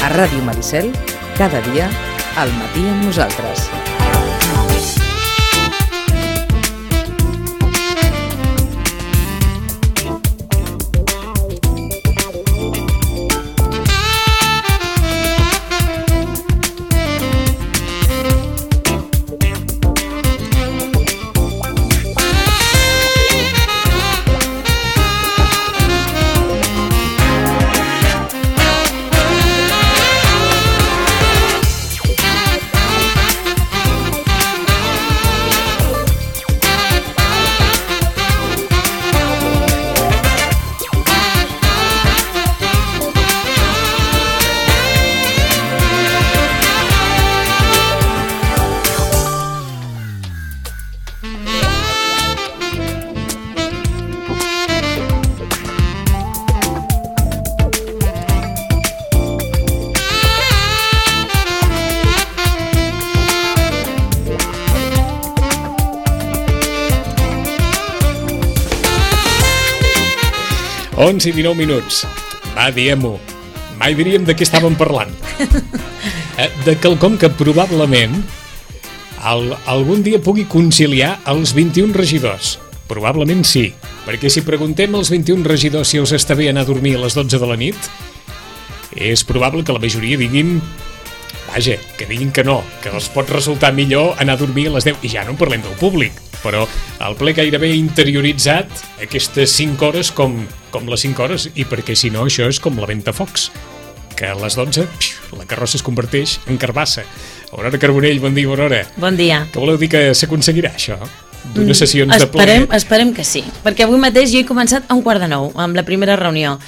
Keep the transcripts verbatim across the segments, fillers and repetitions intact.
A Ràdio Maricel, cada dia, al matí amb nosaltres. onze i dinou minuts. Va, diem-ho. Mai diríem de què estàvem parlant. De quelcom que probablement el, algun dia pugui conciliar els vint-i-un regidors. Probablement sí, perquè si preguntem als vint-i-un regidors si els està bé anar a dormir a les dotze de la nit, és probable que la majoria diguin, vaja, que diguin que no, que els pot resultar millor anar a dormir a les deu, i ja no en parlem del públic, però el ple gairebé interioritzat aquestes cinc hores com, com les cinc hores, i perquè si no això és com la ventafocs, que a les dotze pxiu, la carrossa es converteix en carbassa. Aurora Carbonell, bon dia, Aurora. Bon dia. Que voleu dir que s'aconseguirà això? D'unes sessions de ple? Esperem, esperem que sí, perquè avui mateix jo he començat a un quart de nou, amb la primera reunió.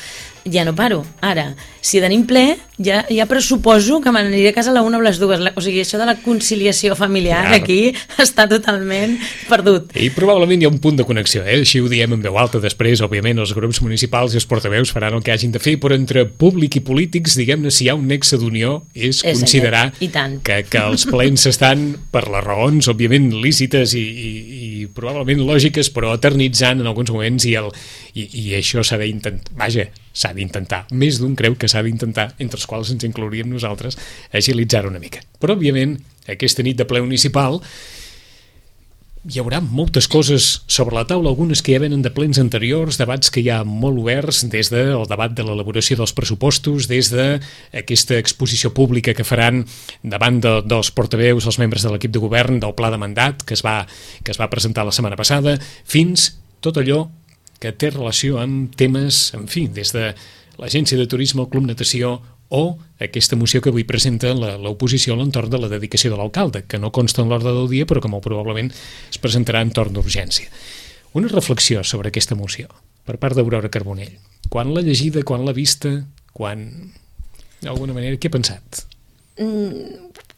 Ja no paro. Ara, si tenim ple, ja, ja pressuposo que m'aniré a casa a la una o les dues. O sigui, això de la conciliació familiar ja. Aquí està totalment perdut. I probablement hi ha un punt de connexió, eh? Així ho diem en veu alta després, òbviament els grups municipals i els portaveus faran el que hagin de fer, però entre públic i polítics, diguem-ne, si hi ha un nexe d'unió és, és considerar que, que els plens estan, per les raons, òbviament, lícites i, i, i probablement lògiques, però eternitzant en alguns moments i, el, i, i això s'ha d'intentar, vaja, s'ha d'intentar, més d'un creu que s'ha d'intentar, entre els quals ens inclouríem nosaltres, agilitzar una mica. Però, òbviament, aquesta nit de ple municipal hi haurà moltes coses sobre la taula, algunes que ja venen de plens anteriors, debats que hi ha molt oberts, des del debat de l'elaboració dels pressupostos, des d'aquesta exposició pública que faran davant de, dels portaveus, els membres de l'equip de govern, del pla de mandat que es va, que es va presentar la setmana passada, fins tot allò que té relació amb temes, en fi, des de l'Agència de Turisme, el Club Natació o aquesta moció que avui presenta l'oposició a l'entorn de la dedicació de l'alcalde, que no consta en l'ordre del dia, però que molt probablement es presentarà en torn d'urgència. Una reflexió sobre aquesta moció, per part d'Aurora Carbonell. Quan l'ha llegida, quan l'ha vista, quan... d'alguna manera, què ha pensat?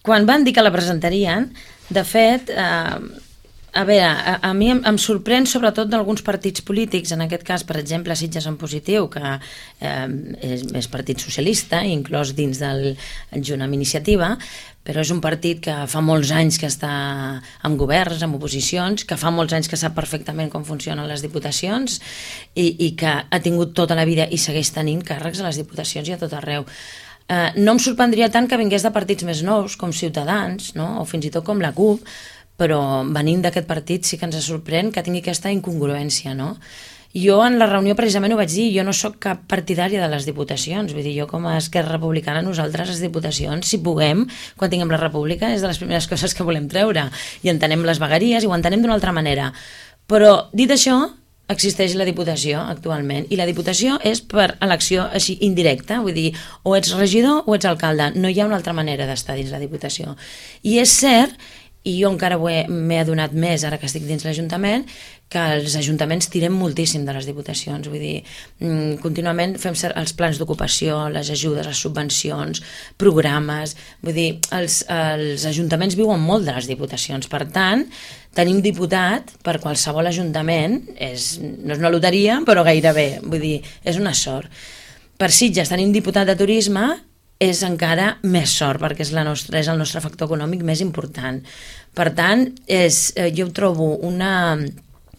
Quan van dir que la presentarien, de fet... Eh... A veure, a, a mi em, em sorprèn sobretot d'alguns partits polítics, en aquest cas, per exemple, Sitges en Positiu, que eh, és, és partit socialista, inclòs dins del Junt amb Iniciativa, però és un partit que fa molts anys que està en governs, en oposicions, que fa molts anys que sap perfectament com funcionen les diputacions i, i que ha tingut tota la vida i segueix tenint càrrecs a les diputacions i a tot arreu. Eh, no em sorprendria tant que vingués de partits més nous, com Ciutadans, no? O fins i tot com la CUP, però venint d'aquest partit sí que ens sorprèn que tingui aquesta incongruència, no? Jo en la reunió precisament ho vaig dir, jo no sóc cap partidària de les diputacions, vull dir, jo com a Esquerra Republicana, nosaltres les diputacions, si puguem, quan tinguem la república, és de les primeres coses que volem treure, i entenem les vegueries i ho entenem d'una altra manera. Però, dit això, existeix la Diputació actualment, i la Diputació és per elecció així indirecta, vull dir, o ets regidor o ets alcalde, no hi ha una altra manera d'estar dins la Diputació. I és cert, i jo encara m'he adonat més ara que estic dins l'Ajuntament, que els ajuntaments tirem moltíssim de les diputacions, vull dir, contínuament fem els plans d'ocupació, les ajudes, les subvencions, programes, vull dir, els, els ajuntaments viuen molt de les diputacions, per tant, tenim diputat per qualsevol ajuntament, és, no és una loteria, però gairebé, vull dir, és una sort. per Sitges tenir un diputat de turisme és encara més sort, perquè és, la nostra, és el nostre factor econòmic més important. Per tant, és, jo trobo una,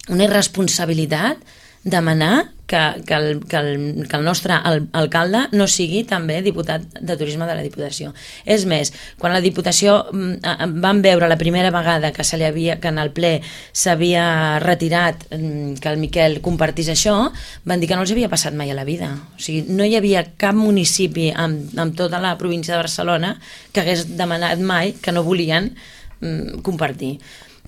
una irresponsabilitat demanar que, que, el, que, el, que el nostre el, alcalde no sigui també diputat de turisme de la Diputació. És més, quan la Diputació van veure la primera vegada que, se li havia, que en el ple s'havia retirat que el Miquel compartís això, van dir que no els havia passat mai a la vida. O sigui, no hi havia cap municipi amb, amb tota la província de Barcelona que hagués demanat mai que no volien mm, compartir.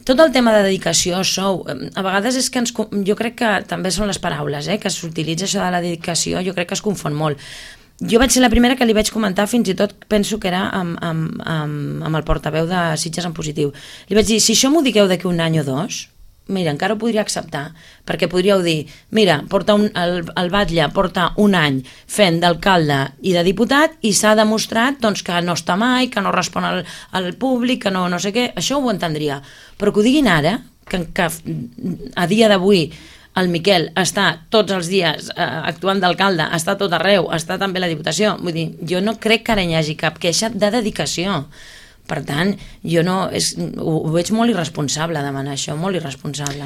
Tot el tema de dedicació, sou, a vegades és que ens, jo crec que també són les paraules, eh, que s'utilitza això de la dedicació, jo crec que es confon molt. Jo vaig ser la primera que li vaig comentar, fins i tot penso que era amb, amb, amb, amb el portaveu de Sitges en Positiu. Li vaig dir, si això m'ho digueu d'aquí un any o dos, mira, encara ho podria acceptar, perquè podríeu dir, mira, porta un, el, el Batlle porta un any fent d'alcalde i de diputat i s'ha demostrat doncs, que no està mai, que no respon al, al públic, que no, no sé què, això ho entendria. Però que ho diguin ara, que, que a dia d'avui el Miquel està tots els dies eh, actuant d'alcalde, està tot arreu, està també a la Diputació, vull dir, jo no crec que ara hi hagi cap queixa de dedicació. Per tant, jo no, és, ho, ho veig molt irresponsable demanar això, molt irresponsable.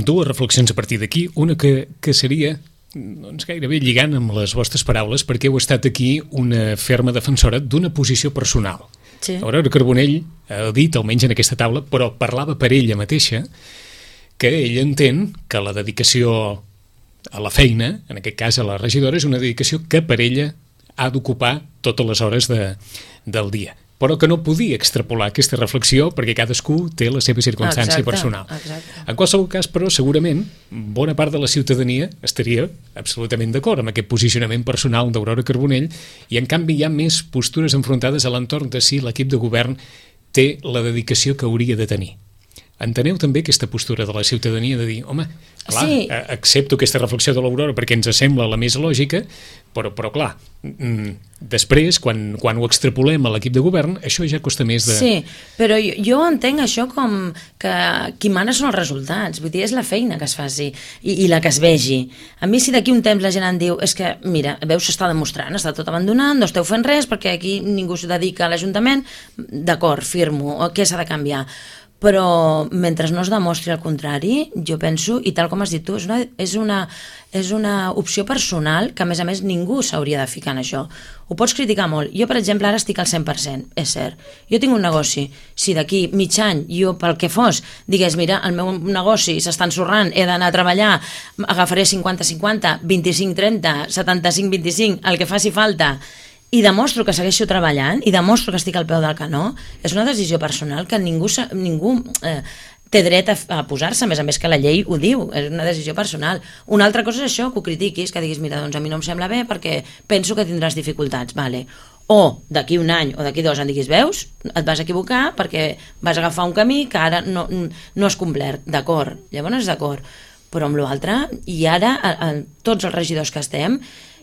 Dues reflexions a partir d'aquí. Una que, que seria, doncs gairebé lligant amb les vostres paraules, perquè heu estat aquí una ferma defensora d'una posició personal. Sí. Aurora Carbonell ha dit, almenys en aquesta taula, però parlava per ella mateixa, que ella entén que la dedicació a la feina, en aquest cas a la regidora, és una dedicació que per ella ha d'ocupar totes les hores de, del dia, però que no podia extrapolar aquesta reflexió perquè cadascú té la seva circumstància exacte, personal. Exacte. En qualsevol cas, però, segurament, bona part de la ciutadania estaria absolutament d'acord amb aquest posicionament personal d'Aurora Carbonell i, en canvi, hi ha més postures enfrontades a l'entorn de si l'equip de govern té la dedicació que hauria de tenir. Enteneu també aquesta postura de la ciutadania de dir, home, clar, sí. accepto aquesta reflexió de l'Aurora perquè ens sembla la més lògica, però, però clar, després, quan, quan ho extrapolem a l'equip de govern, això ja costa més de... Sí, però jo, jo entenc això com que qui mana són els resultats, vull dir, és la feina que es faci i, i la que es vegi. A mi si d'aquí un temps la gent em diu, és que, mira, veus, s'està demostrant, està tot abandonant, no esteu fent res perquè aquí ningú s'ho dedica a l'Ajuntament, d'acord, firmo, què s'ha de canviar? Però mentre no es demostri el contrari, jo penso, i tal com has dit tu, és una, és una, és una opció personal que a més a més ningú s'hauria de ficar en això. Ho pots criticar molt. Jo, per exemple, ara estic al cent per cent, és cert. Jo tinc un negoci. Si d'aquí mig any jo, pel que fos, digués, mira, el meu negoci s'està ensorrant, he d'anar a treballar, agafaré cinquanta cinquanta, vint-i-cinc trenta, setanta-cinc vint-i-cinc, el que faci falta, i demostro que segueixo treballant i demostro que estic al peu del canó, és una decisió personal que ningú, ningú eh, té dret a, a posar-se, a més a més que la llei ho diu, és una decisió personal. Una altra cosa és això, que ho critiquis, que diguis, mira, doncs a mi no em sembla bé perquè penso que tindràs dificultats, vale. O d'aquí un any o d'aquí dos em diguis, veus, et vas equivocar perquè vas agafar un camí que ara no, no has complert, d'acord, llavors d'acord, però amb l'altre, i ara a, a, tots els regidors que estem,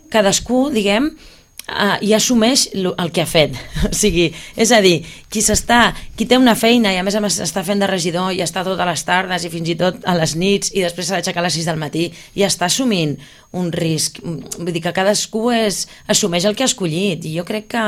cadascú, diguem, Uh, i assumeix el que ha fet. O sigui, és a dir, qui s'està, qui té una feina i a més a més està fent de regidor i està totes les tardes i fins i tot a les nits i després s'ha d'aixecar a les sis del matí i està assumint un risc, vull dir que cadascú és, assumeix el que ha escollit i jo crec que,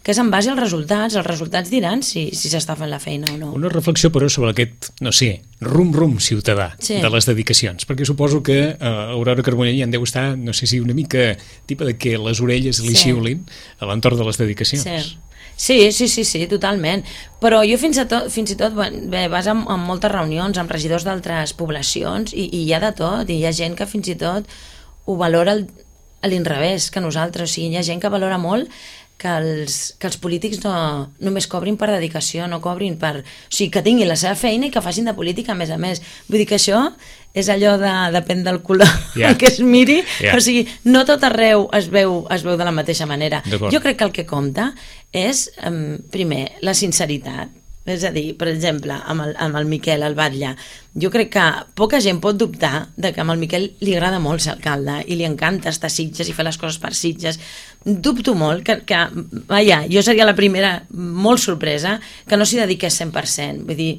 que és en base als resultats, els resultats diran si si s'està fent la feina o no. Una reflexió però sobre aquest, no sé, rum-rum ciutadà sí. de les dedicacions, perquè suposo que uh, Aurora Carbonell en deu estar, no sé si una mica tipa de que les orelles li sí. xiulin a l'entorn de les dedicacions. Sí. Sí, sí, sí, sí, totalment. Però jo fins, a tot, fins i tot bé, vas en, en moltes reunions amb regidors d'altres poblacions i, i hi ha de tot, i hi ha gent que fins i tot ho valora a l'inrevés que nosaltres, o sigui, hi ha gent que valora molt que els, que els polítics no, només cobrin per dedicació, no cobrin per... O sigui, que tinguin la seva feina i que facin de política, a més a més. Vull dir que això és allò de... depèn del color yeah. que es miri. Yeah. O sigui, no tot arreu es veu, es veu de la mateixa manera. Jo crec que el que compta és, um, primer, la sinceritat. És a dir, per exemple, amb el, amb el Miquel, el Batlle, jo crec que poca gent pot dubtar de que amb el Miquel li agrada molt ser alcalde i li encanta estar a Sitges i fer les coses per Sitges. Dubto molt que, que vaja, jo seria la primera molt sorpresa que no s'hi dediqués cent per cent. Vull dir,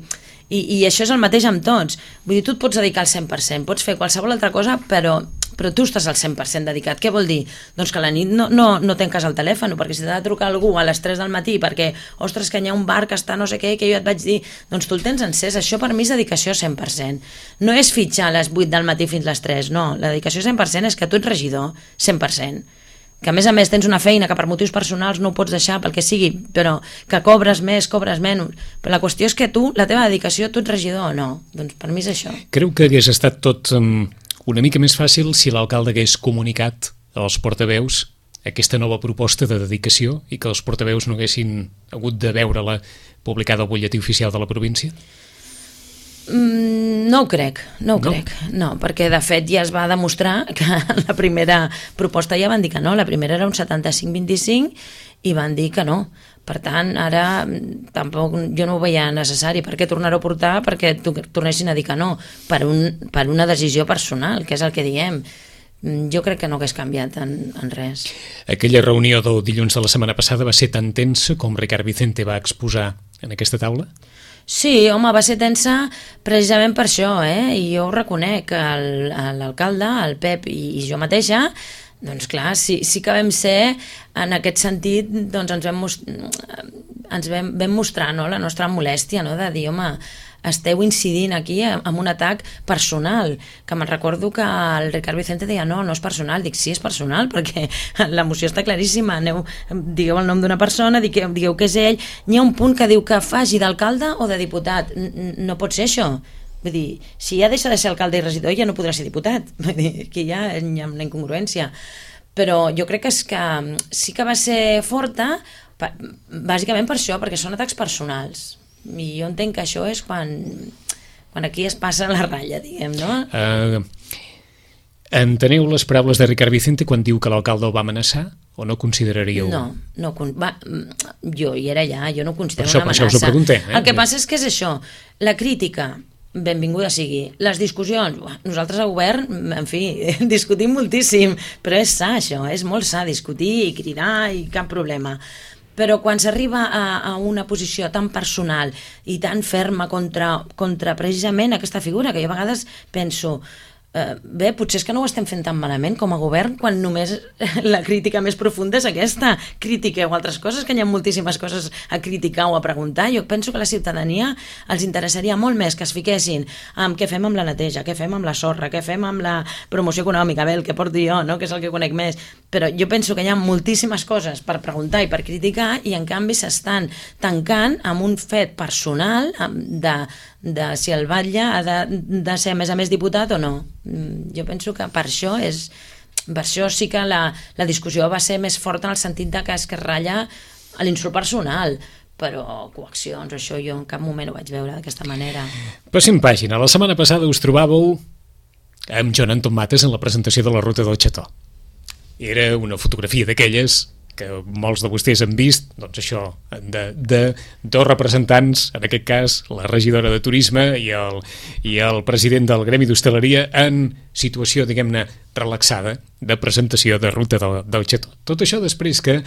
I, I això és el mateix amb tots. Vull dir, tu et pots dedicar al cent per cent, pots fer qualsevol altra cosa, però, però tu estàs al cent per cent dedicat. Què vol dir? Doncs que a la nit no, no, no tanques el telèfon, perquè si t'ha de trucar algú a les tres del matí perquè, ostres, que hi ha un bar que està no sé què, que jo et vaig dir, doncs tu el tens encès. Això per mi és dedicació cent per cent. No és fitxar a les vuit del matí fins a les tres, no. La dedicació cent per cent és que tu ets regidor, cent per cent. Que a més a més tens una feina que per motius personals no ho pots deixar pel que sigui, però que cobres més, cobres menys, però la qüestió és que tu, la teva dedicació, tu ets regidor o no, doncs per mi és això. Creu que hagués estat tot um, una mica més fàcil si l'alcalde hagués comunicat als portaveus aquesta nova proposta de dedicació i que els portaveus no haguessin hagut de veure-la publicada al butlletí oficial de la província? Mm, no ho crec, no ho no? crec, no, perquè de fet ja es va demostrar que la primera proposta ja van dir que no, la primera era un setanta-cinc vint-i-cinc i van dir que no. Per tant, ara tampoc jo no ho veia necessari. Per què tornar-ho a portar? Perquè tornessin a dir que no, per, un, per una decisió personal, que és el que diem. Jo crec que no hagués canviat en, en res. Aquella reunió del dilluns de la setmana passada va ser tan tensa com Ricard Vicente va exposar en aquesta taula? Sí, home, va ser tensa precisament per això, eh? I jo ho reconec, l'alcalde, el Pep i, i jo mateixa, doncs clar, sí, sí que vam ser, en aquest sentit, doncs ens vam, ens vam, vam mostrar, no?, la nostra molèstia, no?, de dir, home, esteu incidint aquí amb un atac personal, que me'n recordo que el Ricard Vicente deia no, no és personal, dic sí, és personal, perquè la moció està claríssima, aneu, digueu el nom d'una persona, digueu, digueu que és ell, n'hi ha un punt que diu que faci d'alcalde o de diputat, no pot ser això. Vull dir, si ja deixa de ser alcalde i regidor ja no podrà ser diputat, vull dir, que ja hi ha una incongruència, però jo crec que, és que sí que va ser forta bàsicament per això, perquè són atacs personals. I jo entenc que això és quan, quan aquí es passa la ratlla, diguem, no? Uh, enteneu les paraules de Ricard Vicente quan diu que l'alcalde el va amenaçar o no consideraríeu? No, no va, jo hi era allà, jo no considero això, una amenaça. Per això us ho preguntem. Eh? El que passa és que és això, la crítica, benvinguda sigui. Les discussions, nosaltres a govern, en fi, discutim moltíssim, però és sa això, és molt sa discutir i cridar i cap problema. Però quan s'arriba a, a una posició tan personal i tan ferma contra, contra precisament aquesta figura, que jo a vegades penso, eh, bé, potser és que no ho estem fent tan malament com a govern quan només la crítica més profunda és aquesta. Critiqueu altres coses, que hi ha moltíssimes coses a criticar o a preguntar. Jo penso que a la ciutadania els interessaria molt més que es fiquessin amb què fem amb la neteja, què fem amb la sorra, què fem amb la promoció econòmica, bé, el que porto jo, no? Que és el que conec més. Però jo penso que hi ha moltíssimes coses per preguntar i per criticar i en canvi s'estan tancant amb un fet personal de, de si el batlle ha de, de ser a més a més diputat o no. Jo penso que per això és, per això sí que la, la discussió va ser més forta en el sentit de que es que ratlla a l'insult personal, però coaccions, això jo en cap moment ho vaig veure d'aquesta manera. Passem pàgina. La setmana passada us trobàveu amb Joan Anton Mates en la presentació de la Ruta del Xató. Era una fotografia d'aquelles que molts de vostès han vist, doncs això, de, de dos representants, en aquest cas la regidora de Turisme i el, i el president del Gremi d'Hostaleria, en situació, diguem-ne, relaxada de presentació de Ruta del, del Xató. Tot això després que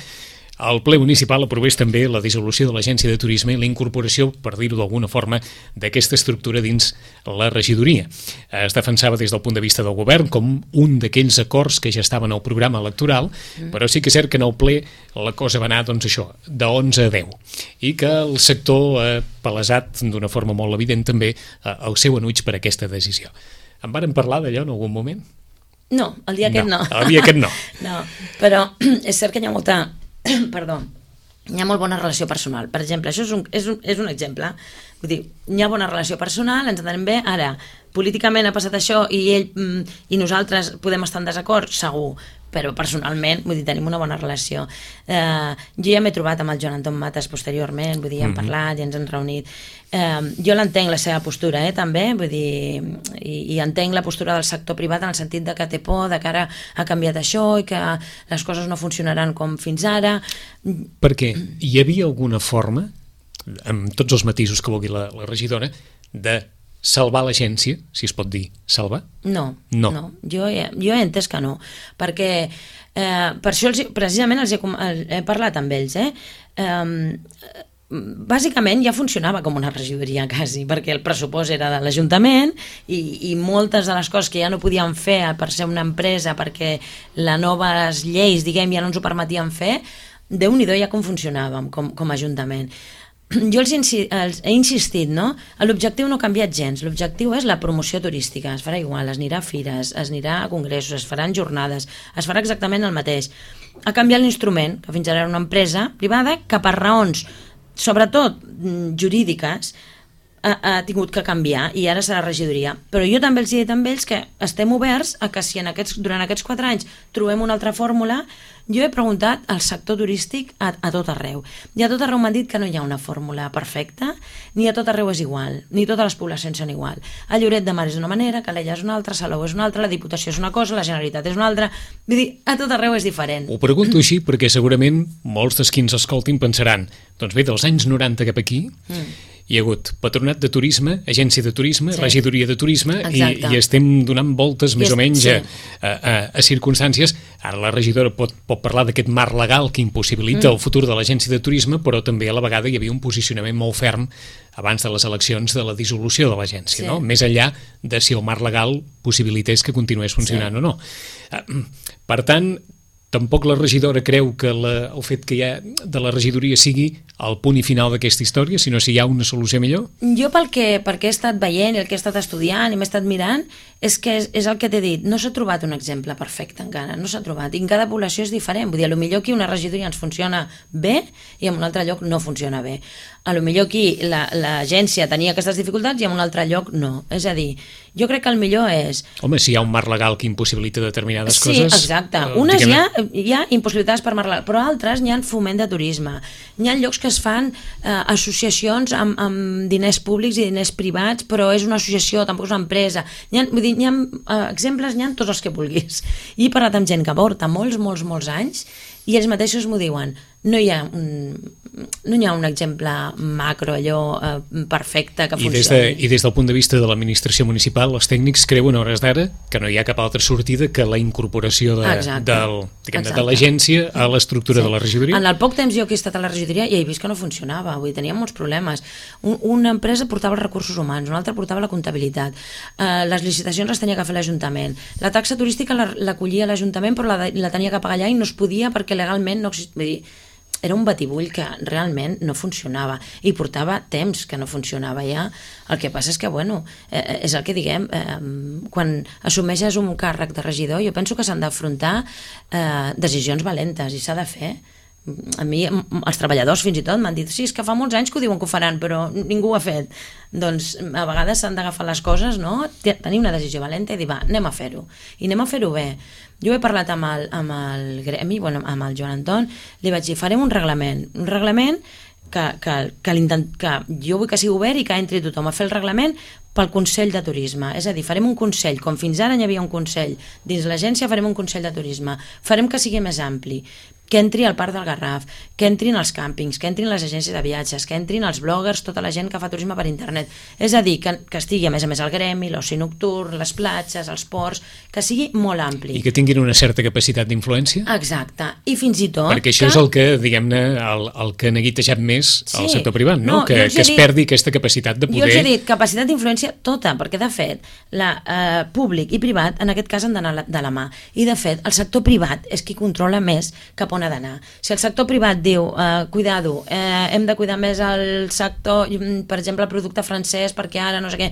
el ple municipal aprovés també la dissolució de l'Agència de Turisme i la incorporació, per dir-ho d'alguna forma, d'aquesta estructura dins la regidoria. Es defensava des del punt de vista del govern com un d'aquells acords que ja estaven al programa electoral, mm. però sí que és cert que en el ple la cosa va anar, doncs això, de onze a deu, i que el sector ha palesat d'una forma molt evident també el seu enuig per aquesta decisió. En varen parlar d'allò en algun moment? No, el dia aquest no. no. El dia aquest no. No, però és cert que hi ha molta... Perdó, hi ha molt bona relació personal. Per exemple, això és un, és un, és un exemple. Vull dir, hi ha bona relació personal, ens entenem bé. Ara, políticament ha passat això i ell i nosaltres podem estar en desacord, segur, però personalment, vull dir, tenim una bona relació. Eh, jo ja m'he trobat amb el Joan Anton Mates posteriorment, vull dir, hem parlat i ens hem reunit. Eh, jo l'entenc la seva postura, eh, també, vull dir, i, i entenc la postura del sector privat en el sentit de que té por, de que ara ha canviat això i que les coses no funcionaran com fins ara. Perquè hi havia alguna forma, amb tots els matisos que vulgui la, la regidora, de salvar l'agència, si es pot dir salvar? No, no. no. Jo, he, jo he entès que no, perquè eh, per això els, precisament els he, he parlat amb ells, eh? Eh, bàsicament ja funcionava com una regidoria quasi, perquè el pressupost era de l'Ajuntament i, i moltes de les coses que ja no podien fer per ser una empresa, perquè les noves lleis, diguem, ja no ens ho permetien fer, Déu-n'hi-do ja com funcionàvem com, com a Ajuntament. Jo els, insi els he insistit, no? L'objectiu no ha canviat gens, l'objectiu és la promoció turística, es farà igual, es anirà a fires, es anirà a congressos, es faran jornades, es farà exactament el mateix. Ha canviat l'instrument, que fins ara era una empresa privada que per raons, sobretot jurídiques, ha, ha tingut que canviar i ara serà regidoria. Però jo també els he dit amb ells que estem oberts a que si en aquests, durant aquests quatre anys trobem una altra fórmula. Jo he preguntat al sector turístic a, a tot arreu. I a tot arreu m'han dit que no hi ha una fórmula perfecta, ni a tot arreu és igual, ni totes les poblacions són igual. A Lloret de Mar és una manera, Calella és una altra, Salou és una altra, la Diputació és una cosa, la Generalitat és una altra. Vull dir, a tot arreu és diferent. Ho pregunto així perquè segurament molts dels qui ens escoltin pensaran, doncs bé, dels anys noranta cap aquí, mm. hi ha hagut Patronat de Turisme, Agència de Turisme, sí. Regidoria de Turisme, i, i estem donant voltes més I o menys sí. a, a, a circumstàncies. Ara la regidora pot, pot parlar d'aquest marc legal que impossibilita mm. el futur de l'Agència de Turisme, però també a la vegada hi havia un posicionament molt ferm abans de les eleccions de la dissolució de l'agència, sí. no? Més enllà de si el marc legal possibilités que continués funcionant sí. o no. Per tant, tampoc la regidora creu que la, el fet que hi ha de la regidoria sigui el punt i final d'aquesta història, sinó si hi ha una solució millor? Jo pel que, perquè he estat veient i el que he estat estudiant i m'he estat mirant, és que és, és el que t'he dit, no s'ha trobat un exemple perfecte encara, no s'ha trobat, i en cada població és diferent, vull dir, potser aquí una regidoria ens funciona bé i en un altre lloc no funciona bé. A lo millor aquí l'agència la, tenia aquestes dificultats i en un altre lloc no. És a dir, jo crec que el millor és... Home, si hi ha un marc legal que impossibilita determinades sí, coses... Sí, exacte. Eh, Unes hi ha, hi ha impossibilitats per marc legal, però altres n'hi ha foment de turisme. N'hi ha llocs que es fan eh, associacions amb, amb diners públics i diners privats, però és una associació, tampoc és una empresa. N'hi ha, vull dir, n'hi ha eh, exemples, n'hi ha tots els que vulguis. I he parlat amb gent que porta molts, molts, molts anys i ells mateixos m'ho diuen. No hi ha un, no hi ha un exemple macro, allò eh, perfecte que funcioni. I des, de, I des del punt de vista de l'administració municipal, els tècnics creuen a hores d'ara que no hi ha cap altra sortida que la incorporació de, del, diguem, de l'agència a l'estructura sí. de la regidoria? En el poc temps jo que he estat a la regidoria ja he vist que no funcionava, vull dir, teníem molts problemes. Un, una empresa portava els recursos humans, una altra portava la comptabilitat, eh, les licitacions les tenia que fer l'Ajuntament, la taxa turística l'acollia l'Ajuntament però la, la tenia que pagar allà i no es podia perquè legalment no existia. Vull dir, era un batibull que realment no funcionava i portava temps que no funcionava ja. El que passa és que, bueno, eh, és el que diguem, eh, quan assumeixes un càrrec de regidor, jo penso que s'han d'afrontar eh, decisions valentes i s'ha de fer. A mi, els treballadors fins i tot m'han dit sí, és que fa molts anys que ho diuen que ho faran però ningú ho ha fet. Doncs a vegades s'han d'agafar les coses, no? Tenir una decisió valenta i dir, va, anem a fer-ho i anem a fer-ho bé. Jo he parlat amb el, amb el gremi, bueno, amb el Joan Anton, li vaig dir, farem un reglament un reglament que, que, que, que jo vull que sigui obert i que entri tothom a fer el reglament pel Consell de Turisme, és a dir, farem un consell, com fins ara hi havia un consell dins l'agència, farem un consell de turisme, farem que sigui més ampli, que entri al Parc del Garraf, que entrin els càmpings, que entrin les agències de viatges, que entrin els bloggers, tota la gent que fa turisme per internet. És a dir, que, que estigui a més a més el gremi, l'oci nocturn, les platges, els ports, que sigui molt ampli. I que tinguin una certa capacitat d'influència? Exacte, i fins i tot... Perquè això que... és el que, diguem-ne, el, el que ha neguitejat més sí. al sector privat, no? no que que es dit, perdi aquesta capacitat de poder... Jo els he dit, capacitat d'influència tota, perquè de fet, la, eh, públic i privat en aquest cas han d'anar de la mà. I de fet, el sector privat és qui controla més cap on ha d'anar. Si el sector privat diu, eh, cuidado, eh, hem de cuidar més el sector, per exemple, el producte francès, perquè ara no sé què,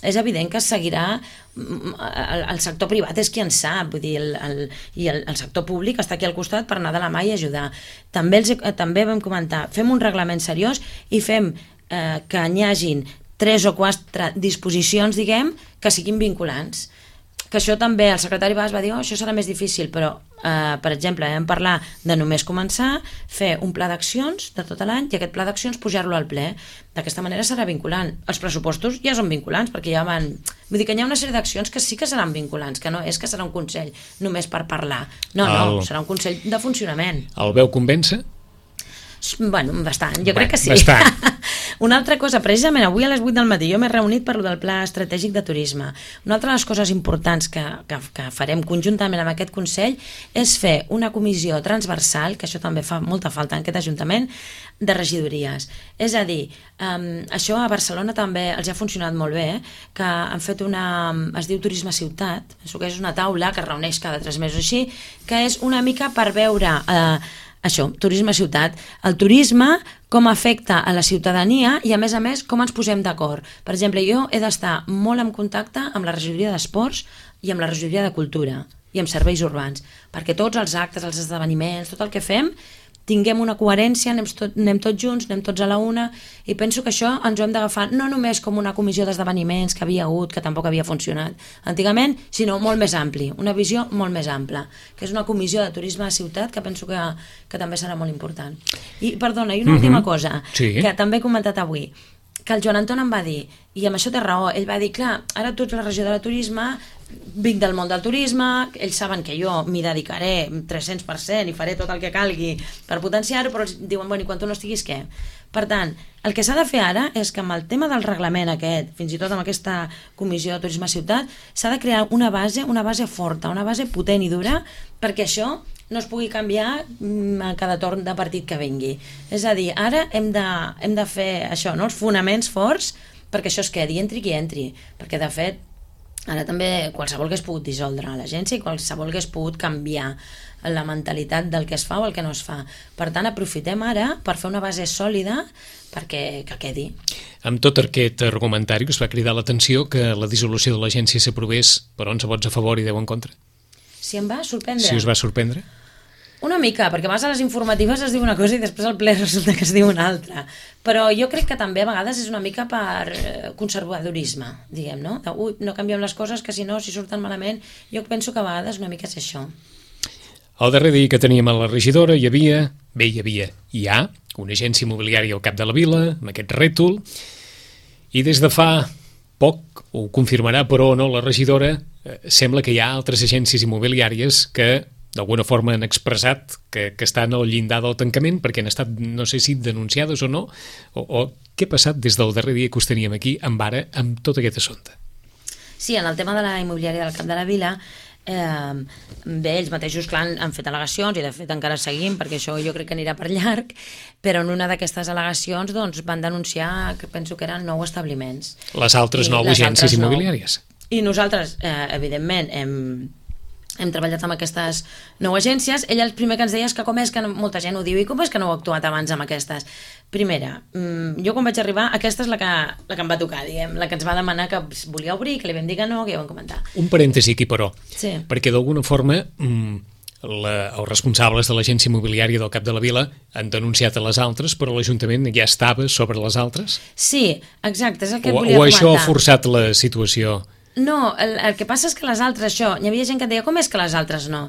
és evident que seguirà el, el sector privat és qui en sap, vull dir, el, el, i el, el sector públic està aquí al costat per anar de la mà i ajudar. També, els, també vam comentar, fem un reglament seriós i fem eh, que n'hi hagin tres o quatre disposicions, diguem, que siguin vinculants. Que això també, el secretari Bas va dir, oh, això serà més difícil, però, eh, per exemple, vam parlar de només començar, fer un pla d'accions de tot l'any i aquest pla d'accions pujar-lo al ple. D'aquesta manera serà vinculant. Els pressupostos ja són vinculants, perquè ja van... Vull dir que hi ha una sèrie d'accions que sí que seran vinculants, que no és que serà un consell només per parlar. No, el... no, serà un consell de funcionament. El veu convèncer? Bueno, bastant, jo crec que sí. Bastant. Una altra cosa, precisament avui a les vuit del matí jo m'he reunit per lo del Pla Estratègic de Turisme. Una altra de les coses importants que, que, que farem conjuntament amb aquest Consell és fer una comissió transversal, que això també fa molta falta en aquest Ajuntament, de regidories. És a dir, um, això a Barcelona també els ha funcionat molt bé, eh? Que han fet una... es diu Turisme Ciutat, penso que és una taula que es reuneix cada tres mesos així, que és una mica per veure... Eh, això, turisme ciutat, el turisme com afecta a la ciutadania i a més a més com ens posem d'acord. Per exemple, jo he d'estar molt en contacte amb la regidoria d'Esports i amb la regidoria de Cultura i amb serveis urbans, perquè tots els actes, els esdeveniments, tot el que fem tinguem una coherència, anem, tot, anem tots junts, anem tots a la una, i penso que això ens ho hem d'agafar no només com una comissió d'esdeveniments que havia hagut, que tampoc havia funcionat antigament, sinó molt més ampli, una visió molt més ampla, que és una comissió de turisme de ciutat que penso que, que també serà molt important. I, perdona, i una última mm-hmm. cosa, sí. que també he comentat avui, que el Joan Anton em va dir, i amb això té raó, ell va dir, clar, ara tu ets la regidora de turisme, vinc del món del turisme, ells saben que jo m'hi dedicaré tres-cents per cent i faré tot el que calgui per potenciar-ho, però ells diuen, bueno, i quan tu no estiguis, què? Per tant, el que s'ha de fer ara és que amb el tema del reglament aquest, fins i tot amb aquesta comissió de turisme ciutat, s'ha de crear una base, una base forta, una base potent i dura, perquè això no es pugui canviar a cada torn de partit que vingui. És a dir, ara hem de, hem de fer això, no? Els fonaments forts perquè això es quedi, entri qui entri, perquè de fet ara també qualsevol que es pogut dissoldre l'agència i qualsevol que es pogut canviar la mentalitat del que es fa o el que no es fa. Per tant, aprofitem ara per fer una base sòlida perquè que quedi. Amb tot aquest argumentari us va cridar l'atenció que la dissolució de l'agència s'aprovés per onze vots a favor i deu en contra. Si em va sorprendre. Si us va sorprendre? Una mica, perquè a les informatives es diu una cosa i després al ple resulta que es diu una altra. Però jo crec que també a vegades és una mica per conservadorisme, diguem, no? De, ui, no canviem les coses, que si no, si surten malament, jo penso que a vegades una mica és això. El darrer dia que teníem a la regidora hi havia, bé, hi havia, hi ha una agència immobiliària al cap de la vila, amb aquest rètol, i des de fa poc, ho confirmarà però o no la regidora, eh, sembla que hi ha altres agències immobiliàries que d'alguna forma han expressat que, que estan al llindar del tancament perquè han estat, no sé si denunciades o no, o, o què ha passat des del darrer dia que us teníem aquí amb ara, amb tot aquest assumpte? Sí, en el tema de la immobiliària del Cap de la Vila, eh, bé, ells mateixos clar, han, han fet al·legacions i de fet encara seguim perquè això jo crec que anirà per llarg, però en una d'aquestes al·legacions doncs, van denunciar que penso que eren nou establiments. Les altres nou les agències altres immobiliàries. Nou. I nosaltres, eh, evidentment, hem hem treballat amb aquestes nou agències. Ell el primer que ens deia és que com és que no, molta gent ho diu, i com és que no heu actuat abans amb aquestes? Primera, jo quan vaig arribar, aquesta és la que, la que em va tocar, diguem, la que ens va demanar que volia obrir, que li vam dir que no, que ja ho vam comentar. Un parèntesi aquí, però, sí. Perquè d'alguna forma la, els responsables de l'agència immobiliària del Cap de la Vila han denunciat a les altres, però l'Ajuntament ja estava sobre les altres? Sí, exacte, és el que o, volia o comentar. O això ha forçat la situació? No, el, el que passa és que les altres, això, hi havia gent que deia, com és que les altres no?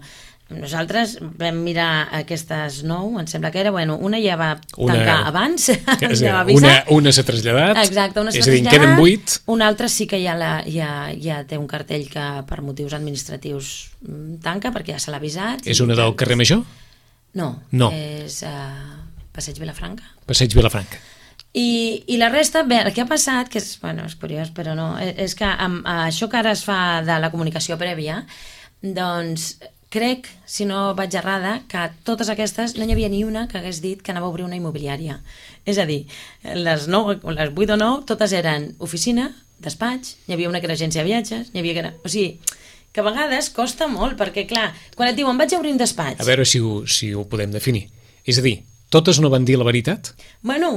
Nosaltres vam mirar aquestes nou, em sembla que era, bueno, una ja va tancar una, abans, ja va avisar. Una, una s'ha traslladat, exacte, una s'ha és a dir, traslladat, queden vuit. Una altra sí que ja, la, ja, ja té un cartell que per motius administratius tanca, perquè ja se l'ha avisat. És una del carrer Major? No, no. és uh, Passeig Vilafranca. Passeig Vilafranca. I, i la resta, bé, el que ha passat, que és, bueno, és curiós, però no, és que amb això que ara es fa de la comunicació prèvia, doncs crec, si no vaig errada, que totes aquestes no n'hi havia ni una que hagués dit que anava a obrir una immobiliària. És a dir, les, nou, les vuit o nou, totes eren oficina, despatx, n'hi havia una que era agència de viatges, n'hi havia que era... O sigui, que a vegades costa molt, perquè clar, quan et diuen vaig a obrir un despatx... A veure si ho, si ho podem definir. És a dir, totes no van dir la veritat? Bueno,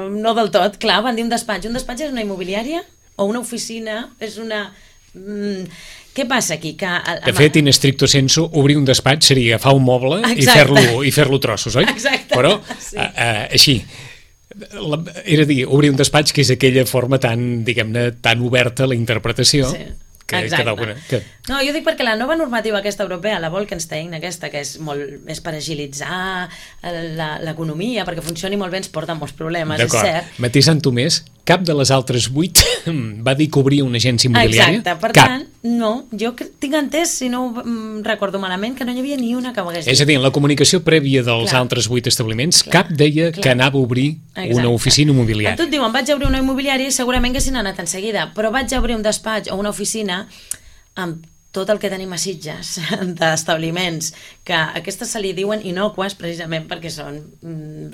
no del tot, clar, van dir un despatx. Un despatx és una immobiliària o una oficina, és una... Mm, què passa aquí? Que, de fet, in stricto sensu, obrir un despatx seria agafar un moble exacte. i fer-lo i fer-lo trossos, oi? Exacte. Però, sí. a, a, així, la, era a dir, obrir un despatx que és aquella forma tan, diguem-ne, tan oberta a la interpretació... Sí. Que, exacte. Que que... No, jo dic perquè la nova normativa aquesta europea, la Bolkestein aquesta, que és molt més per agilitzar l'economia, perquè funcioni molt bé, ens porta molts problemes, és cert. Matisant-ho més, cap de les altres vuit va dir que obria una agència immobiliària? Exacte, per cap. tant, no, jo tinc entès, si no mm, recordo malament, que no hi havia ni una que ho hagués dit. És a dir, en la comunicació prèvia dels Clar. altres vuit establiments, Clar. cap deia Clar. que anava a obrir Exacte. una oficina immobiliària. A tu et diuen, vaig a obrir una immobiliària i segurament haguessin anat en seguida, però vaig a obrir un despatx o una oficina amb tot el que tenim a Sitges d'establiments, que aquestes se li diuen inocues precisament perquè són,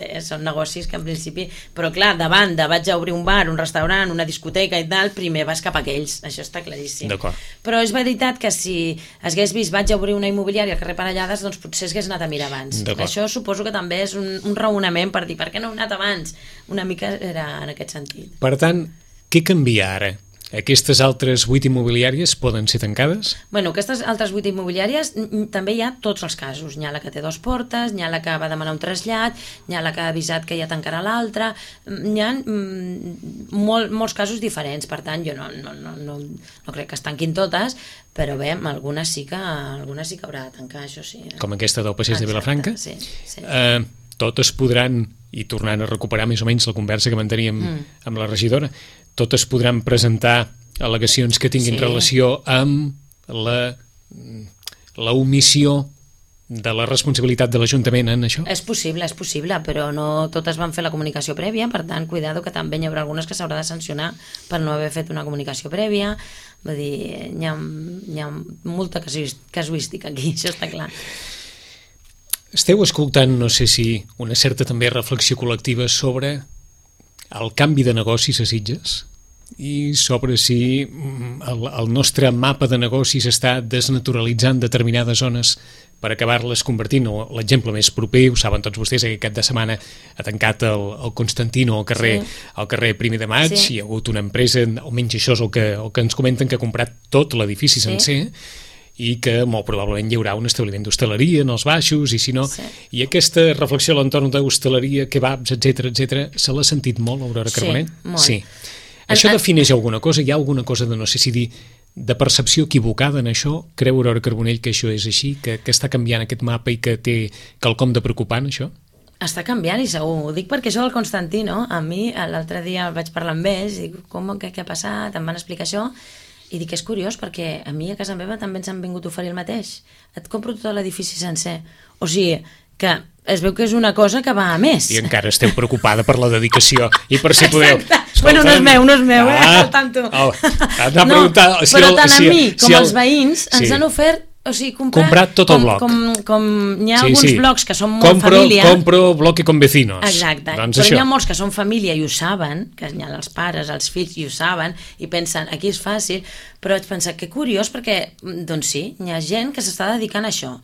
bé, són negocis que en principi, però clar, davant de vaig a obrir un bar, un restaurant, una discoteca i tal, primer vas cap a aquells, això està claríssim. D'acord. Però és veritat que si hagués vist vaig a obrir una immobiliària al carrer Parellades, doncs potser hagués anat a mirar abans. Això suposo que també és un, un raonament per dir per què no he anat abans? Una mica era en aquest sentit. Per tant, què canvia ara? Aquestes altres vuit immobiliàries poden ser tancades? Bueno, aquestes altres vuit immobiliàries també hi ha tots els casos. N'hi ha la que té dues portes, n'hi ha la que va demanar un trasllat, n'hi ha la que ha avisat que ja tancarà l'altra, n'hi ha mm, molt, molts casos diferents, per tant jo no, no, no, no, no crec que es tanquin totes, però bé, algunes sí que, algunes sí que haurà de tancar, això sí. Com aquesta del Passeig de Vilafranca? Sí, sí. Eh, totes podran, i tornant a recuperar més o menys la conversa que manteníem mm. amb la regidora, totes podran presentar al·legacions que tinguin sí. relació amb la, la omissió de la responsabilitat de l'Ajuntament en això? És possible, és possible, però no totes van fer la comunicació prèvia, per tant, cuidado que també hi haurà algunes que s'haurà de sancionar per no haver fet una comunicació prèvia. Vull dir, hi ha, hi ha molta casuística aquí, això està clar. Esteu escoltant, no sé si, una certa també reflexió col·lectiva sobre el canvi de negocis a Sitges i sobre si el, el nostre mapa de negocis està desnaturalitzant determinades zones per acabar-les convertint. L'exemple més proper, ho saben tots vostès, aquest cap de setmana ha tancat el, el Constantino al carrer, sí. al carrer Primer de Maig, sí. Hi ha hagut una empresa, almenys això és el que, el que ens comenten, que ha comprat tot l'edifici sí. sencer, i que molt probablement hi haurà un establiment d'hostaleria en els baixos, i si no... Sí. I aquesta reflexió a l'entorn d'hostaleria, kebabs, etcètera, etcètera, se l'ha sentit molt, Aurora Carbonell? Sí, molt. Sí. Això defineix alguna cosa? Hi ha alguna cosa de, no sé si dir, de percepció equivocada en això? Creu Aurora Carbonell que això és així, que, que està canviant aquest mapa i que té quelcom de preocupant, això? Està canviant i segur, ho dic perquè això del Constantino, a mi l'altre dia vaig parlar amb ells, i com, què, què ha passat, em van explicar això, i dic que és curiós perquè a mi a casa meva també ens han vingut a oferir el mateix. Et compro tot l'edifici sencer. O sigui, que es veu que és una cosa que va a més. I encara esteu preocupada per la dedicació i per si podeu... Escolta, bueno, no és meu, no és meu, ah, eh? Al tanto. Oh, no, si però el, tant si, a mi com si el, els veïns ens sí. han ofert o sigui, comprar, comprat tot el com, bloc. Com, com hi ha sí, alguns sí. blocs que són molt compro, família... Compro bloque con vecinos. Exacte, doncs però això. Hi ha molts que són família i ho saben, que hi ha els pares, els fills i ho saben, i pensen, aquí és fàcil, però vaig pensar, que curiós, perquè, doncs sí, hi ha gent que s'està dedicant a això.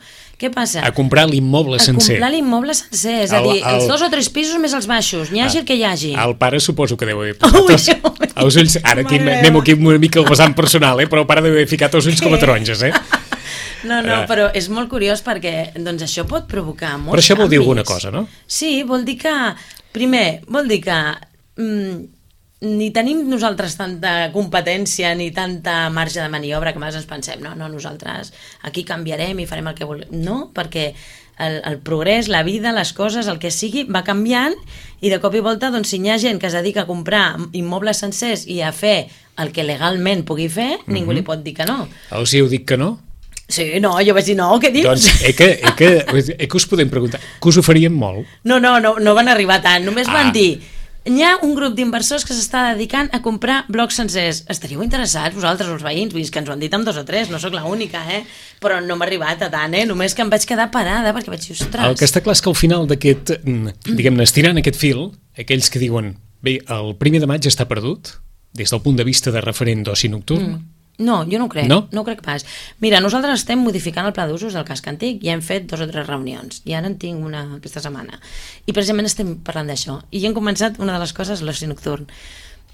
Què passa? A comprar l'immoble sencer. A comprar l'immoble sencer, és a dir, el, el... els dos o tres pisos més els baixos, n'hi hagi el que hi hagi. El pare suposo que deu haver posat els, els ulls, ara aquí anem aquí una mica al vessant personal, eh? Però el pare deu haver ficat els ulls com a taronges, eh? No, no, però és molt curiós perquè doncs això pot provocar molts canvis. Però això vol dir alguna cosa, no? Sí, vol dir que, primer, vol dir que mm, ni tenim nosaltres tanta competència ni tanta marge de maniobra que més ens pensem, no, no, nosaltres aquí canviarem i farem el que volem. No, perquè el, el progrés, la vida, les coses, el que sigui, va canviant i de cop i volta, doncs, si hi ha gent que es dedica a comprar immobles sencers i a fer el que legalment pugui fer, mm-hmm. ningú li pot dir que no. Els hi heu dit que no? Sí, no, jo vaig dir no, què dius? Doncs eh que, eh que, eh que us podem preguntar, que us oferien molt? No, no, no, no van arribar tant, només ah. van dir, hi ha un grup d'inversors que s'està dedicant a comprar blocs sencers. Estaríeu interessats, vosaltres, els veïns? Vull dir que ens ho han dit amb dos o tres, no sóc l'única, eh? Però no m'ha arribat a tant, eh? Només que em vaig quedar parada perquè vaig dir, ostres... El que està clar és que al final d'aquest, diguem-ne, estirant aquest fil, aquells que diuen, bé, el primer de maig està perdut, des del punt de vista de referent d'oci nocturn, mm. No, jo no ho crec, no? no ho crec pas. Mira, nosaltres estem modificant el pla d'usos del casc antic i hem fet dos o tres reunions, i ara en tinc una aquesta setmana. I precisament estem parlant d'això. I hem començat una de les coses, l'oci nocturn.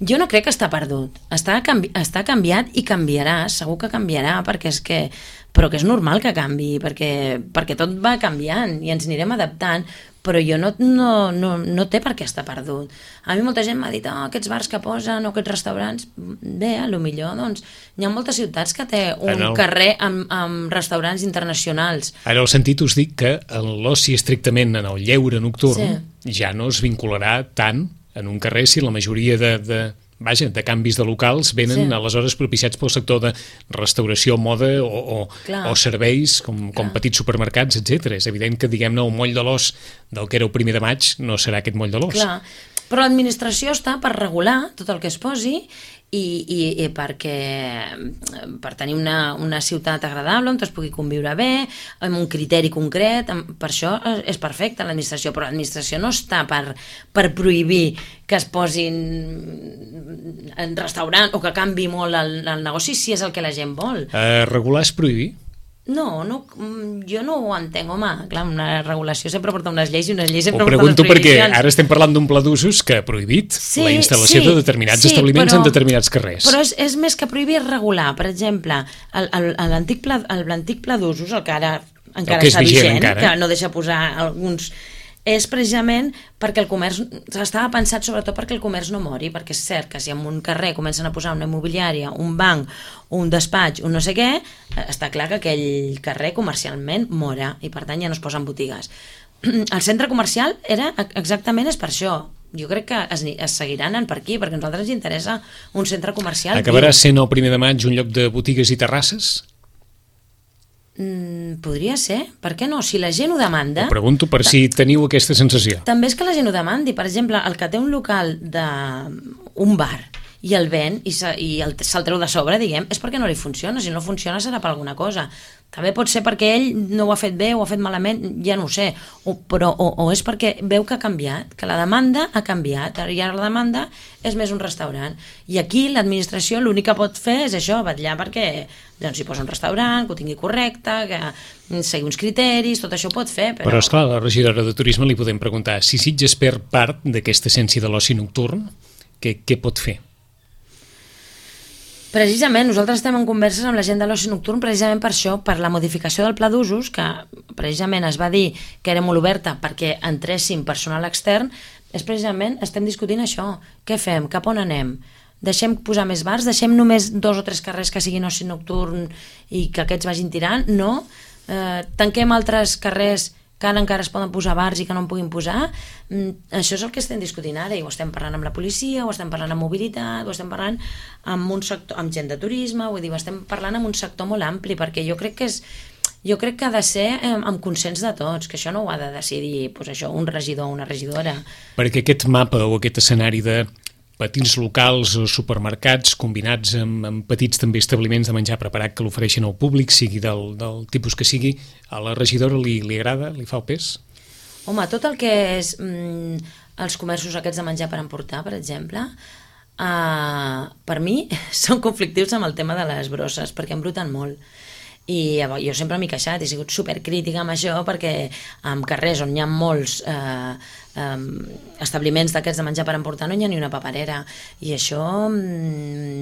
Jo no crec que està perdut. Està, canvi està canviat i canviarà, segur que canviarà, perquè és que... però que és normal que canvi, perquè, perquè tot va canviant i ens anirem adaptant, però jo no, no, no, no té per què estar perdut. A mi molta gent m'ha dit, oh, aquests bars que posen o aquests restaurants, bé, a lo millor, doncs, hi ha moltes ciutats que té un el... carrer amb, amb restaurants internacionals. En el sentit us dic que l'oci estrictament en el lleure nocturn sí. ja no es vincularà tant en un carrer si la majoria de, de, vaja, de canvis de locals venen sí. aleshores propiciats pel sector de restauració, moda o, o, o serveis com, com petits supermercats, etcètera. És evident que, diguem-ne, el moll de l'os del que era el primer de maig no serà aquest moll de l'os. Clar, però l'administració està per regular tot el que es posi i, i, i perquè per tenir una, una ciutat agradable on es pugui conviure bé, amb un criteri concret, amb, per això és perfecta l'administració, però l'administració no està per, per prohibir que es posin en restaurant o que canvi molt el, el negoci si és el que la gent vol. Uh, regular és prohibir? No, no, jo no ho entenc, home, clar, una regulació sempre porta unes lleis i unes lleis sempre porten unes prohibicions. Ho pregunto perquè ara estem parlant d'un pla d'usos que ha prohibit sí, la instal·lació sí, de determinats sí, establiments però, en determinats carrers. Però és, és més que prohibir, és regular. Per exemple, l'antic pla, pla d'usos, el que ara encara està vigent, encara. que no deixa posar alguns... és precisament perquè el comerç estava pensat sobretot perquè el comerç no mori, perquè és cert que si en un carrer comencen a posar una immobiliària, un banc, un despatx, un no sé què, està clar que aquell carrer comercialment mora i per tant ja no es posen botigues. El centre comercial era exactament és per això. Jo crec que es, es seguiran anant per aquí, perquè a nosaltres ens interessa un centre comercial. Acabarà sent el primer de maig un lloc de botigues i terrasses? Mm, podria ser, per què no? Si la gent ho demanda... Ho pregunto per si teniu aquesta sensació. També és que la gent ho demandi. Per exemple, el que té un local d'un bar i el ven i, se, i el, se'l treu de sobre, diguem, és perquè no li funciona. Si no funciona serà per alguna cosa. També pot ser perquè ell no ho ha fet bé o ho ha fet malament, ja no ho sé, o, però, o, o és perquè veu que ha canviat, que la demanda ha canviat, i ara la demanda és més un restaurant. I aquí l'administració l'únic que pot fer és això, vetllar perquè doncs, hi posa un restaurant, que ho tingui correcte, que segui uns criteris, tot això ho pot fer. Però, però esclar, a la regidora de Turisme li podem preguntar si Sitges perd part d'aquesta essència de l'oci nocturn, què, què pot fer? Precisament, nosaltres estem en converses amb la gent de l'oci nocturn precisament per això, per la modificació del pla d'usos, que precisament es va dir que era molt oberta perquè entréssim personal extern, és precisament, estem discutint això. Què fem? Cap on anem? Deixem posar més bars? Deixem només dos o tres carrers que siguin oci nocturn i que aquests vagin tirant? No? Eh, tanquem altres carrers que ara encara es poden posar bars i que no en puguin posar? Mm, això és el que estem discutint ara, i ho estem parlant amb la policia, ho estem parlant amb mobilitat, ho estem parlant amb, un sector, amb gent de turisme, vull dir, ho estem parlant amb un sector molt ampli, perquè jo crec que és jo crec que ha de ser eh, amb consens de tots, que això no ho ha de decidir pues això, un regidor o una regidora. Perquè aquest mapa o aquest escenari de petits locals o supermercats combinats amb, amb petits també establiments de menjar preparat que l'ofereixen al públic, sigui del, del tipus que sigui, a la regidora li, li agrada, li fa el pes? Home, tot el que és mm, els comerços aquests de menjar per emportar, per exemple, uh, per mi són conflictius amb el tema de les brosses, perquè embruten molt. I jo sempre m'he queixat, he sigut supercrítica amb això, perquè en carrers on hi ha molts eh, eh, establiments d'aquests de menjar per emportar no hi ha ni una paperera, i això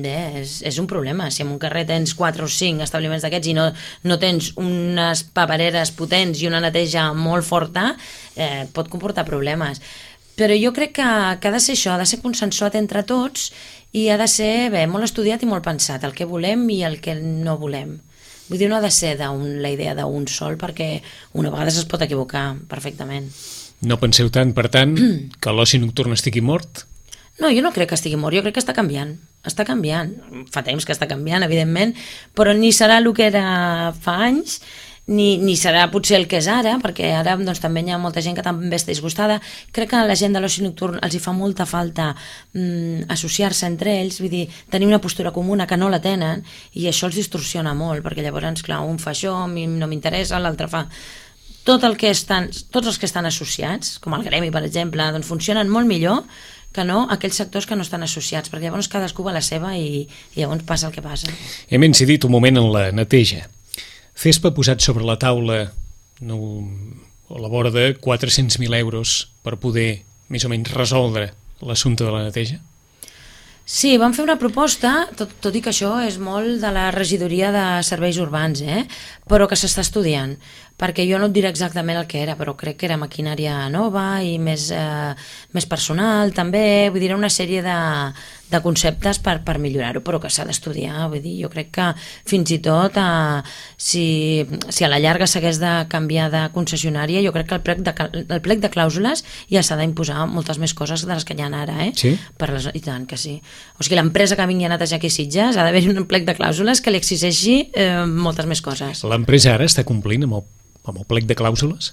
bé, és, és un problema. Si en un carrer tens quatre o cinc establiments d'aquests i no, no tens unes papereres potents i una neteja molt forta, eh, pot comportar problemes. Però jo crec que, que ha de ser això, ha de ser consensuat entre tots i ha de ser bé, molt estudiat i molt pensat, el que volem i el que no volem. Vull dir, no ha de ser un, la idea d'un sol, perquè una vegada es pot equivocar perfectament. No penseu tant, per tant, que l'oci nocturn estigui mort? No, jo no crec que estigui mort, jo crec que està canviant. Està canviant. Fa temps que està canviant, evidentment, però ni serà el que era fa anys, ni, ni serà potser el que és ara, perquè ara doncs, també hi ha molta gent que també està disgustada. Crec que a la gent de l'oci nocturn els hi fa molta falta mm, associar-se entre ells, vull dir, tenir una postura comuna que no la tenen, i això els distorsiona molt, perquè llavors, clar, un fa això, a mi no m'interessa, l'altre fa... Tot el que estan, tots els que estan associats, com el gremi, per exemple, doncs funcionen molt millor que no aquells sectors que no estan associats, perquè llavors cadascú va a la seva i, i llavors passa el que passa. Hem incidit un moment en la neteja. Fespa ha posat sobre la taula no, a la vora de quatre-cents mil euros per poder més o menys resoldre l'assumpte de la neteja? Sí, vam fer una proposta, tot, tot i que això és molt de la regidoria de serveis urbans, eh? Però que s'està estudiant, perquè jo no et diré exactament el que era, però crec que era maquinària nova i més, eh, més personal també, vull dir, una sèrie de, de conceptes per, per millorar-ho, però que s'ha d'estudiar, vull dir, jo crec que fins i tot eh, si, si a la llarga s'hagués de canviar de concessionària, jo crec que el plec de, el plec de clàusules ja s'ha d'imposar moltes més coses de les que hi ha ara, eh? Sí? Per les, i tant que sí. O sigui, l'empresa que vingui a netejar aquí a Sitges ha d'haver un plec de clàusules que li exigeixi eh, moltes més coses. L'empresa ara està complint amb el, amb el plec de clàusules?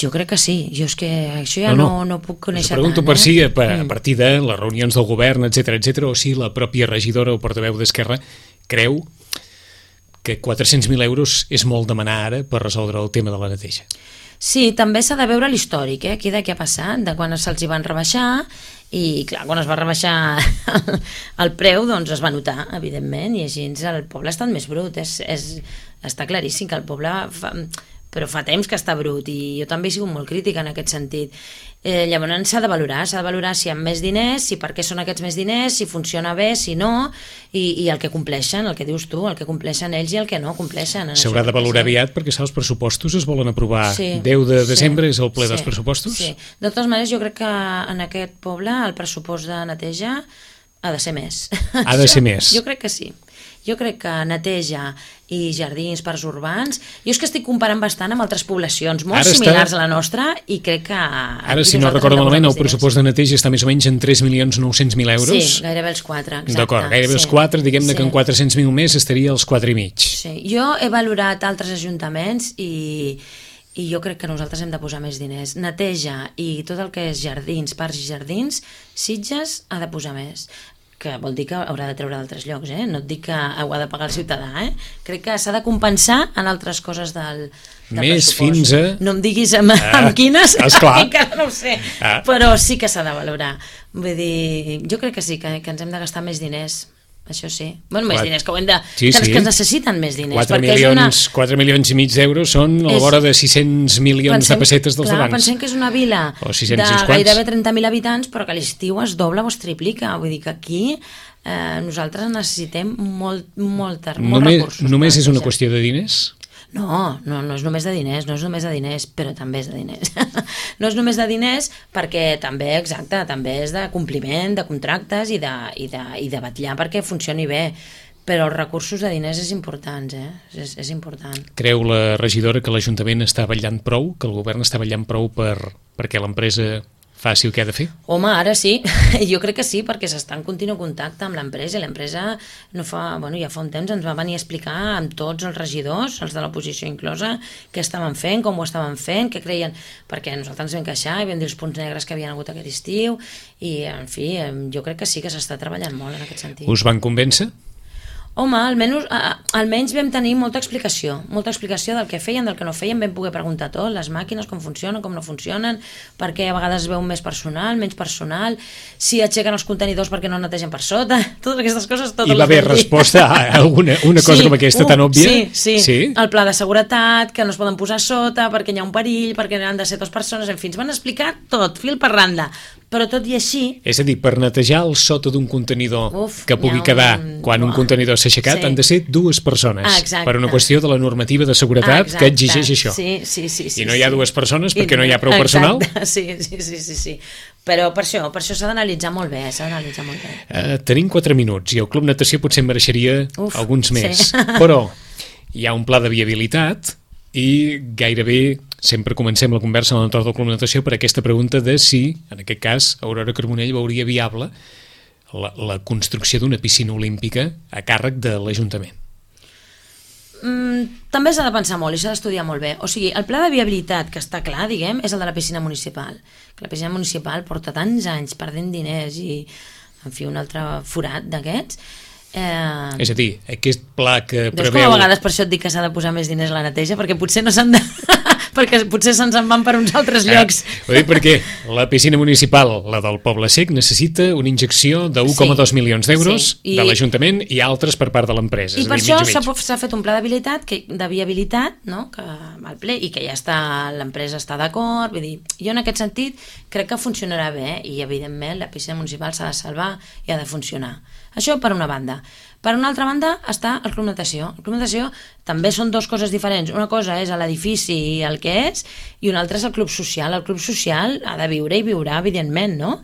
Jo crec que sí, jo és que això ja no, no, no puc conèixer tant. Us pregunto tant, per eh? si a, a partir de les reunions del govern, etcètera, etcètera, o si la pròpia regidora o portaveu d'Esquerra creu que quatre-cents mil euros és molt demanar ara per resoldre el tema de la neteja. Sí, també s'ha de veure l'històric, eh? Aquí de què ha passat, de quan se'ls hi van rebaixar, i clar, quan es va rebaixar el preu, doncs es va notar, evidentment, i així el poble ha estat més brut, és, és, està claríssim que el poble fa, però fa temps que està brut, i jo també he sigut molt crítica en aquest sentit. Eh, llavors s'ha de valorar, s'ha de valorar si hi ha més diners, si per què són aquests més diners, si funciona bé, si no, i, i el que compleixen, el que dius tu, el que compleixen ells i el que no compleixen. S'haurà de valorar sí. aviat, perquè els pressupostos es volen aprovar sí, deu de desembre, sí, és el ple sí, dels pressupostos? Sí, de totes maneres jo crec que en aquest poble el pressupost de neteja ha de ser més. Ha de ser més? Jo crec que sí. Jo crec que neteja i jardins, parcs urbans, jo és que estic comparant bastant amb altres poblacions molt ara similars està... a la nostra i crec que... Ara, si no recordo malament, el pressupost de neteja està més o menys en tres milions nou-cents mil euros. Sí, gairebé els quatre, exacte. D'acord, gairebé sí. els quatre, diguem-ne sí. que en quatre-cents mil més estaria els quatre i mig. Sí, jo he valorat altres ajuntaments i... i jo crec que nosaltres hem de posar més diners. Neteja i tot el que és jardins, parcs i jardins, Sitges ha de posar més, que vol dir que haurà de treure d'altres llocs, eh? No et dic que ho ha de pagar el ciutadà, eh? Crec que s'ha de compensar en altres coses del, del més pressupost. Fins a... No em diguis amb, ah, amb quines, encara no ho sé, ah. però sí que s'ha de valorar. Vull dir, jo crec que sí, que, que ens hem de gastar més diners. Això sí. Bueno, més diners, que, ho hem de, sí, que, sí. que es necessiten més diners. quatre milions, una... quatre milions i mig d'euros són a la vora de sis-cents milions pensem, de pessetes dels clar, abans. Pensem que és una vila de gairebé trenta mil habitants, però que a l'estiu es dobla o es triplica. Vull dir que aquí eh, nosaltres necessitem molt, molt, molt només, recursos. Només és una qüestió de diners? No, no, no és només de diners, no és només de diners, però també és de diners. No és només de diners perquè també, exacte, també és de compliment de contractes i de, i de, i de batllar perquè funcioni bé, però els recursos de diners és important, eh? És, és important. Creu la regidora que l'Ajuntament està vetllant prou, que el govern està vetllant prou per, perquè l'empresa faci el que ha de fer? Home, ara sí, jo crec que sí, perquè s'està en continu contacte amb l'empresa i l'empresa no fa, bueno, ja fa un temps ens va venir a explicar amb tots els regidors, els de l'oposició inclosa, què estaven fent, com ho estaven fent, què creien, perquè nosaltres ens vam queixar i vam dir els punts negres que havien hagut aquest estiu i, en fi, jo crec que sí que s'està treballant molt en aquest sentit. Us van convèncer? Home, almenys, almenys vam tenir molta explicació, molta explicació del que feien, del que no feien, vam poder preguntar tot, les màquines, com funcionen, com no funcionen, perquè a vegades es veu més personal, menys personal, si aixequen els contenidors perquè no netegen per sota, totes aquestes coses... Totes I va haver resposta a alguna una cosa sí, com aquesta uh, tan òbvia? Sí, sí, sí, el pla de seguretat, que no es poden posar sota, perquè hi ha un perill, perquè han de ser dues persones, en fi, ens van explicar tot, fil per randa, però tot i així... És a dir, per netejar el sota d'un contenidor Uf, que pugui un... quedar quan un contenidor s'ha aixecat, sí. han de ser dues persones, exacte. Per una qüestió de la normativa de seguretat exacte. Que exigeix això. Sí, sí, sí, sí, I no hi ha sí. dues persones perquè I, no hi ha prou exacte. Personal? Sí, sí, sí, sí, sí. Però per això, per això s'ha d'analitzar molt bé, s'ha d'analitzar molt bé. Uh, tenim quatre minuts i el Club Natació potser en mereixeria Uf, alguns més, sí. Però hi ha un pla de viabilitat i gairebé sempre comencem la conversa a l'entorn del Club Natació per aquesta pregunta de si, en aquest cas, Aurora Carbonell veuria viable la, la construcció d'una piscina olímpica a càrrec de l'Ajuntament. Mm, també s'ha de pensar molt i s'ha d'estudiar molt bé. O sigui, el pla de viabilitat que està clar, diguem, és el de la piscina municipal. La piscina municipal porta tants anys perdent diners i, en fi, un altre forat d'aquests. Eh... És a dir, aquest pla que Veus preveu... com a vegades per això et dic que s'ha de posar més diners a la neteja, perquè potser no s'han de... perquè potser se'ns en van per uns altres llocs. Eh, ho dic perquè la piscina municipal, la del Poble Sec, necessita una injecció de un coma dos sí, milions d'euros sí, i... de l'Ajuntament i altres per part de l'empresa. I per això s'ha fet un pla d'habilitat, que, de viabilitat, no? Que al ple, i que ja està, l'empresa està d'acord, vull dir, jo en aquest sentit crec que funcionarà bé i evidentment la piscina municipal s'ha de salvar i ha de funcionar. Això per una banda. Per una altra banda està el club natació. El club natació també són dues coses diferents. Una cosa és l'edifici i el que és, i una altra és el club social. El club social ha de viure i viurà, evidentment, no?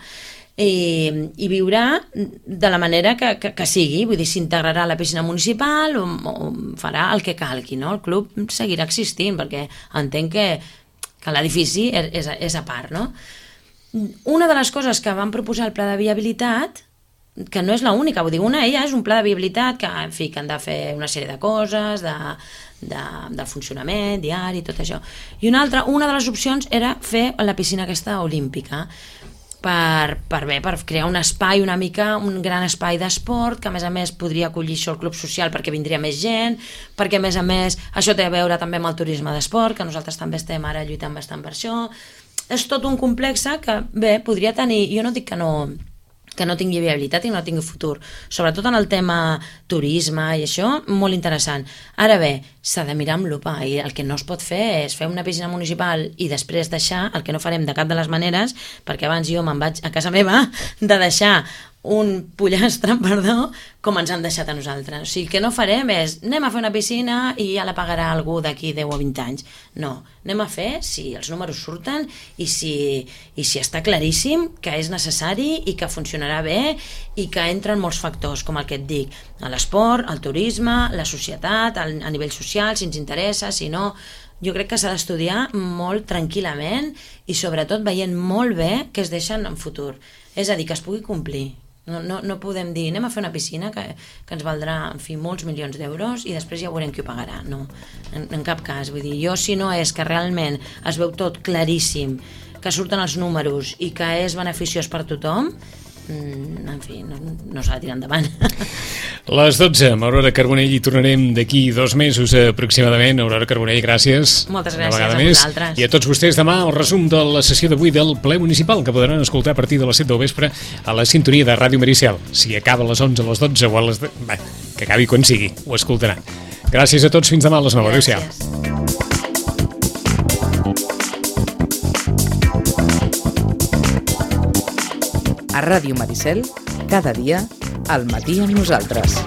I, i viurà de la manera que, que, que sigui, vull dir, s'integrarà a la piscina municipal o, o farà el que calgui, no? El club seguirà existint, perquè entenc que, que l'edifici és, és, és a part, no? Una de les coses que van proposar el pla de viabilitat, que no és l'única, vull dir, una ella és un pla de viabilitat que, en fi, que han de fer una sèrie de coses, de, de, de funcionament diari, tot això. I una altra, una de les opcions era fer la piscina aquesta olímpica, per, per, bé, per crear un espai una mica, un gran espai d'esport, que a més a més podria acollir això el club social perquè vindria més gent, perquè a més a més això té a veure també amb el turisme d'esport, que nosaltres també estem ara lluitant bastant per això. És tot un complex que, bé, podria tenir, jo no dic que no... que no tingui viabilitat i no tingui futur, sobretot en el tema turisme i això, molt interessant. Ara bé, s'ha de mirar amb lupa i el que no es pot fer és fer una piscina municipal i després deixar, el que no farem de cap de les maneres, perquè abans jo me'n vaig a casa meva, de deixar un pollastre, perdó, com ens han deixat a nosaltres. O sigui, el que no farem és anem a fer una piscina i ja la pagarà algú d'aquí deu o vint anys. No, anem a fer si els números surten i si, i si està claríssim que és necessari i que funcionarà bé i que entren molts factors, com el que et dic, l'esport, el turisme, la societat, el, a nivell social, si ens interessa, si no... Jo crec que s'ha d'estudiar molt tranquil·lament i sobretot veient molt bé què es deixen en futur. És a dir, que es pugui complir. No, no, no podem dir, anem a fer una piscina que, que ens valdrà, en fi, molts milions d'euros i després ja veurem qui ho pagarà. No, en, en cap cas. Vull dir, jo si no és que realment es veu tot claríssim, que surten els números i que és beneficiós per tothom, en fi, no, no s'ha de tirar endavant. Les dotze, amb Aurora Carbonell, hi tornarem d'aquí dos mesos aproximadament. Aurora Carbonell, gràcies. Moltes gràcies a vosaltres. I a tots vostès demà el resum de la sessió d'avui del ple municipal, que podran escoltar a partir de les set del vespre a la sintonia de Ràdio Maricel. Si acaba a les onze, a les dotze o a les... Bé, que acabi quan sigui, ho escoltaran. Gràcies a tots, fins demà a les nou. Adéu-siau. A Ràdio Maricel, cada dia, al matí amb nosaltres.